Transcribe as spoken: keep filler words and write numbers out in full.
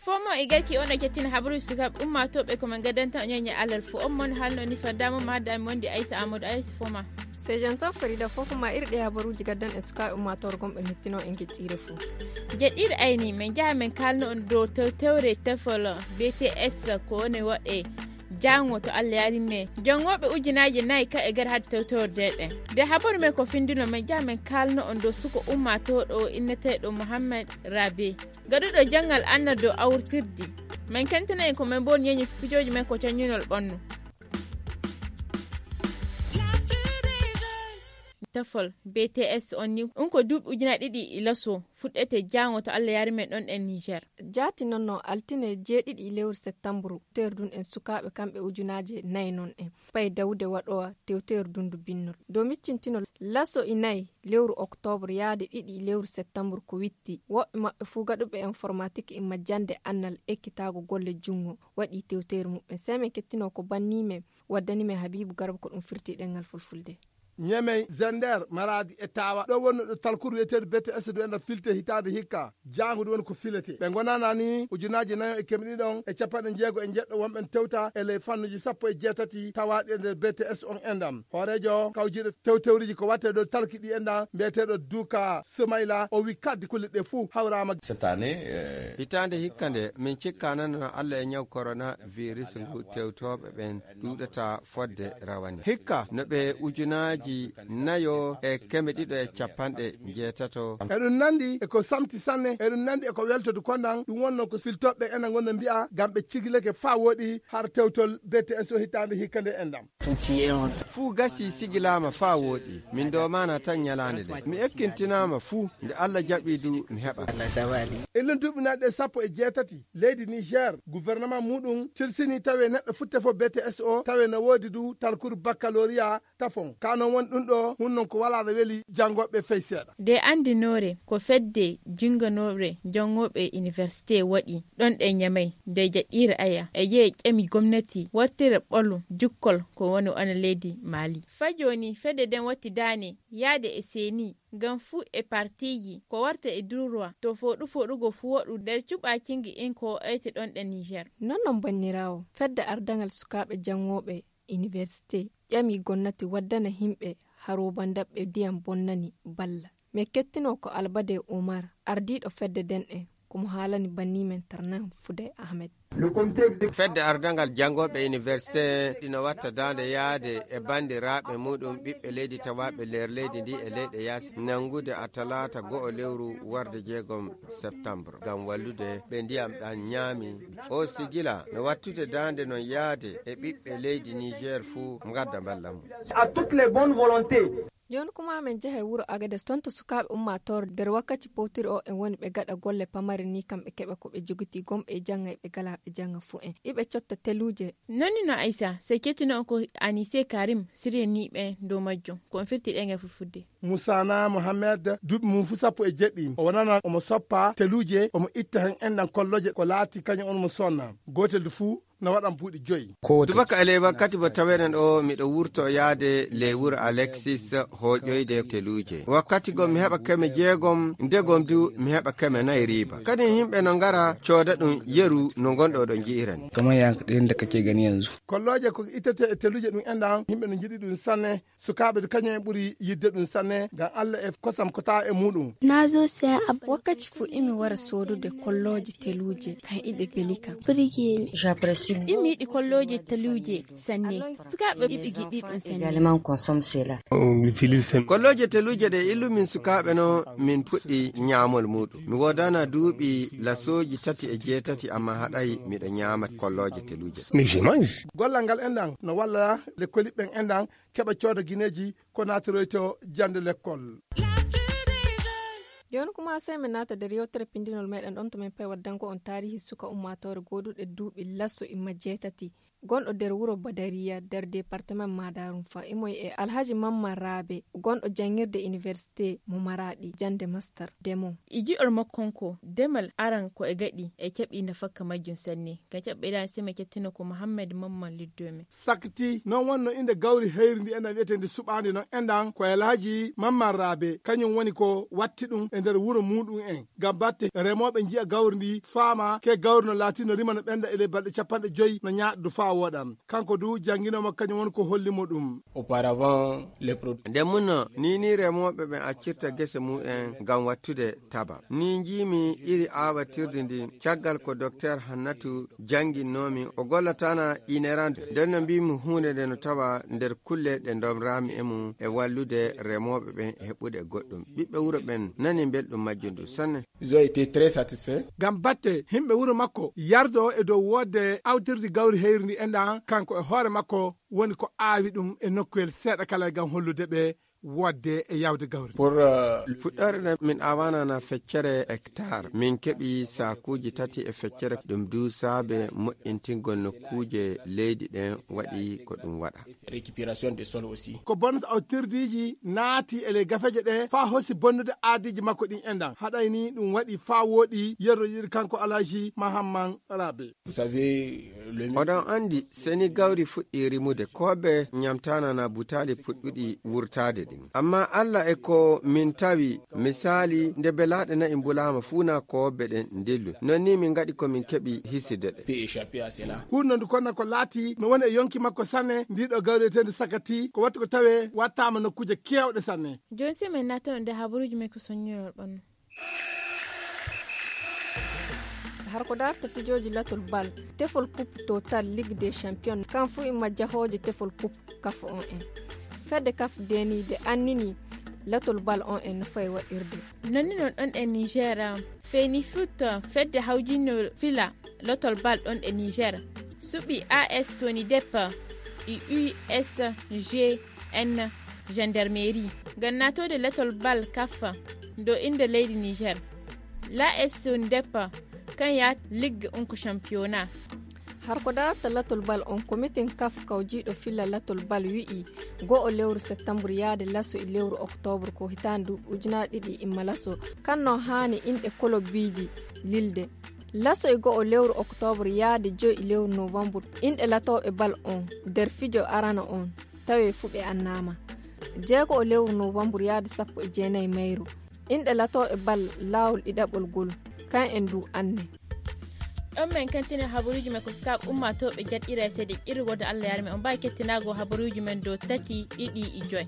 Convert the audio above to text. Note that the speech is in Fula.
Fomo e garki on e kettina habaruuji sukaaɓe ummaatooɓe ko men gaddanta on ñeñe alal fo on mon halno ni faddaama ma haddaami wonde aysa amadou aysa foma. Sejanto farida fof ma irɗe habaruuji gaddan e sukaaɓe ummaatoore gomɓe hettino e geƴƴiire fo. Jeɗɗiire ayni men njaha men kaalno on dow tewtewre tefol bts ko woni waɗe jango to allah yaari me jongooɓe ujunaaji nayi ka e gari hadde tewtewre deɗen. Nde habaru men ko findino men njaha men kaalno on dow suko ummaatooɗo o inneteeɗo mohammed rabe gaɗuɗo janngal annal dow awrtirdi. Men kentana en ko men mboni ñeñi pijooji men ko caññinol ɓannu. Tafol bts on ni ɗum ko duuɓi ujunaaji ɗiɗi e laso fuɗɗete jango to allah yaari men ɗon e niger. Jaati noon no altine jeeɗiɗi e lewru septambru tewtewre ndun en sukaaɓe kamɓe ujunaaji nayi noon en pay dawde waɗowa tewtewre dundu binnol dow miccintinol laso e nayi lewru oktoobre yaade ɗiɗi lewru septambru ko witti woɓɓe maɓɓe fuu gaɗuɓe informatik e majjande annal ekkitaago golle junngo waɗi tewteeri muɓɓen sey men kettino ko banni men waddani men habiibu garba ko ɗum firti ɗenngal fulfulde. Ñemey zender maradi e tawa ɗo wonno ɗo talkuru wiyeteeɗo bts du enda filte hitaande hikka. Jaango du woni ko filete ɓe gonana ni ujunaaji nayo e kemɗi ɗon e capanɗe jeego e jeɗɗo wonɓen tewta e ley fannuji sappo e jeetati tawaaɗi e nder bts on endam hooreejo kawjiiɗo tewtewriji ko watte ɗo talki ɗi endam mbiyeteeɗo duka sumayla o wi kaddi kulle ɗe fuu hawraama. Cette année. Hitaande hikka nde min cikkanano allah e ñaw corona virus ngu tewtooɓe ɓen ɗuuɗata fodde rawane hikka no ɓe ujunaaji nayo e keme ɗiɗo e capanɗe jeetato. Eɗum nandi e ko samti sanne eɗum nandi e ko weltodu kondan ɗum wonno ko filtoɓe ena gonda mbi'a ngam ɓe cigilake faa woɗi har tewtol bts o hitaande hikka nde endam. Fuu gasi sigilaama faa wooɗi min doomana tan ñalaande nde mi ekkintinaama fuu nde allah jaɓi du mi heɓa. Ellen duuɓi naɗɗe sappo e jeetati leydi niger gouvernement muɗum tilsini tawi neɗɗo futte fof bts o tawi no woodi du talkuru baccalauria tafon ka non woni ɗum ɗo hun non ko wala no weli janngoɓe fey seeɗa. Nde anndinoore ko fedde jinnganoore janngooɓe université waɗi ɗon ɗe ñamay nde jaɗɗiire aya e yehi ƴami gomnati wartira ɓolu jukkol ko woni ana leydi maali faa jooni fedde nden watti daane yaade e seeni ngam fuu e partiiji ko warta e durwa to fooɗu fooɗugo fuu waɗu nder cuɓaakingi in ko o eyte ɗon ɗe niger. Non non banniraawo fedde ardangal sukaaɓe janngooɓe université ƴami gonnati waddana himɓe harooba ndaɓɓe ndiyam bonnani balla. Mi kettino ko albade umar ardiiɗo fedde denɗe ko mo haalani banni men tarnan fuday ahmed. Fedde ardangal janngooɓe université ɗino watta daande yaade e banndiraaɓe muɗum ɓiɓɓe leydi tawaaɓe nder leydi ndi e leyɗe yaasi nanngude a talaata go'o lewru warde jeegom septembre ngam wallude ɓe ndiyam ɗan ñaami. O sigila no wattude daande non yaade e ɓiɓɓe leydi niger fuu ngadda mballa mum. À toutes les bonnes volontés. Jooni kuma men njahay wuro agades toon to sukaaɓe ummaatoore nder wakkati powtiri o en woni ɓe gaɗa golle pamare ni kamɓe keɓa ko ɓe jogitii gomɓe e jannga e ɓe galaa ɓe jannga fuu en iɓe cotta teluuje. Nonni no aysa sey kettinoo ko anise karim siriyaniiɓe dow majjum ko on firti ɗe ngel fufudde. Musana mohammed duuɓi mum fuu sappo e jeɗɗi o wonana omo soppa teluuje omo itta heen enɗan kolloje ko laati kañum on mo sonna gootel du fuu no waɗan buuɗi joyi. Tubaka e ley wakkati mo taweɗen o miɗo wurto yaade ley wuro alexis hooƴoyde teluuje wakkati gom mi heɓa keme jeegom ndegom du mi heɓa keme nayi riiba kadi yimɓe no ngara cooda ɗum yeru no ngonɗo ɗo nji'irani. Kamar yanka ɗayan da kake gani yanzu. Kollooje ko ittete e teluuje ɗum enɗan yimɓe no njiɗi ɗum sanne. Sukaaɓe du kañum en ɓuri yidde ɗum sanne ngam allah e kosam ko tawa e muɗum. Wakkati fuu imi wara soodude kollooje teluuje kan iɗe beli kam. Imi yiɗi kollooje teluuje sanne. Sukaaɓe iɓe giɗi ɗum sanne. Kollooje teluuje ɗe illumin sukaaɓe no min puɗɗi ñaamol muɗum mi woodana duuɓi lasooji tati e jeetati amma haɗay miɗo ñaama kollooje teluuje. Gollal ngal enɗan no walla lekkoliɓɓen enɗan keɓa cooda gineeji ko naatoroyto jannde lekkol. Jooni kuma sey min naata nder yewtere pinndinol meɗen ɗon to min pay waddango on taarihi suka ummaatoore gooduɗe duuɓi laso imma jeetati gonɗo nder wuro Badariya nder departement Madarum fa imoy e Alhaji Mamman Rabe gonɗo janngirde université mo Maraɗi jannde master demo. E gi'ol makko kanko, demal aran ko e gaɗi e keɓi nafakka majjum sanne. Ka keɓɓe ɗan seme kettino ko Muhammad Mamman Liddome. Sakti, non wonno innde gawri heyri ndi enɗan wi'eteendi suɓaandi non enɗan ko Alhaji Mamman Rabe, kañum woni ko watti ɗum e nder wuro muɗum en. Ngam batte remooɓe nji'a gawri ndi faama ke gawri no laati no rima no ɓenda e ley balɗe capanɗe joyi no ñaaɗdu faa wooɗan. Kanko du jannginooma kañum woni ko holli mo ɗum. Auparavant, les produits. Nde munno, ni ni remooɓe ɓen accirta gese mu'en ngam wattude taba. Ni njiimi iri aawatirdi ndin, caggal ko Dokteer Hannatu jannginnoomi, o gollatana inerande. Nden no mbiimi huunde nde no tawa nder kulle ɗe ndomraami e mum e wallude remooɓe ɓen e heɓude goɗɗum. Ɓiɓɓe wuro ɓen nani belɗum majjum ɗum sanne. Ils ont été très satisfaits. Ngam batte yimɓe wuro makko yardo e dow woodde awtirdi gawri heyri ndi enɗan, kanko e hoore makko woni ko aawi ɗum e nokkuyel seeɗa kala ngam hollude ɓe woodde e yawde gawri. Pour, euh, le- Fuɗɗoore nden min aawanana feccere hectare. Min keɓi saakuuji tati e feccere. Ɗum du saabe moƴƴintingol nokkuuje leydi ɗen waɗi ko ɗum waɗa. Récupération des sols aussi. Ko bonnata awtirdiiji naati e ley gafeeje ɗe faa hosi bonnude aadiiji makko ɗin enɗan. Haɗay ni ɗum waɗi faa wooɗi yerroyiɗi kanko Alhaji Mahamman Rabe. Vous savez, le- Oɗon anndi, seni gawri fuɗɗi rimude, kooɓe ñamtaanana butaali puɗɗuɗi wurtaade ɗin. Amma Alla e ko min tawi, misaali, nde belaaɗe na'i mbulaama fuu na kooɓe ɗen ndillu. Non ni min ngaɗi ko min keɓi hiside ɗe. Peut échapper à cela. Huunde ndu konna ko laati no woni e yonki makko sanne, ndi ɗo gawri eteendi sakati, ko wattu ko tawee wattaama nokkuuje keewɗe sanne. Jooni si min naatano nde habaruuji men ko soññorol ɓannu. Har ko darta fijooji latol bal, tefol coupe total Ligue des Champions, kan fuu imma jahooje tefol coupe kaf on en. Fedde kaf deni de annini latol bal on en no fay waɗirde. Nonni non ɗon e Niger, Feni Foot, fedde hawjinno fila latol bal ɗon e Niger, suɓi A S Sonidep e U S G N Gendarmerie ngam naatode latol bal kaf do innde leydi Niger. La S Sonidep kan ya Ligue unko Championnat. Har ko darata latol bal on, komitin kaf kawjiiɗo filla latol bal wi'i go'o lewru septembre yaade laso e lewru octobre ko hitaande duuɓi ujunaaji ɗiɗi imma laso. Kan no haani inɗe kolobbiiji lilde. Laso e go'o lewru octobre yaade joyi lewru novembre, inɗe latooɓe bal on nder fijo arano on tawe fuu ɓe annaama. Jeego o lewru novembre yaade sappo e jeenayi mayru, inɗe latooɓe bal laawol ɗiɗaɓol gol, kan en du anne. Ɗon men kantine habaruuji men ko sukaaɓe ummaatooɓe jaɗɗira e seede ƴirgode Allah yarme on mbaawi kettinaago habaruuji men dow tati ɗiɗi e joy.